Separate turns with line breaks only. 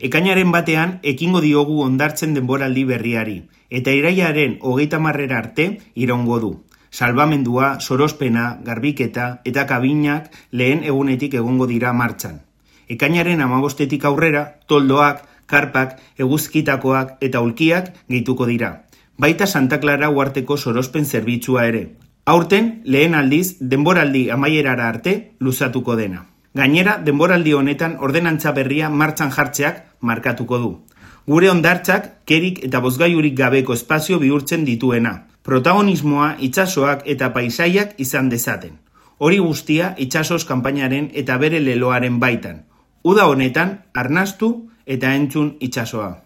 Ekainaren batean ekingo diogu hondartzen denboraldi berriari, eta irailaren 30 arte iraungo du. Salbamendua, sorospena, garbiketa eta kabinak lehen egunetik egongo dira martxan. Ekainaren 15 aurrera, toldoak, karpak, eguzkitakoak eta ulkiak gehituko dira. Baita Santa Clara uharteko sorospen zerbitzua ere. Aurten, lehen aldiz, denboraldi amaierara arte luzatuko dena. Gainera, denboraldi honetan ordenantza berria martxan jartzeak markatuko du. Gure hondartzak kerik eta bozgailurik gabeko espazio bihurtzen dituena. Protagonismoa itsasoak eta paisaiak izan dezaten. Hori guztia itsasos kanpainaren eta bere leloaren baitan. Uda honetan, arnastu eta entzun itsasoa.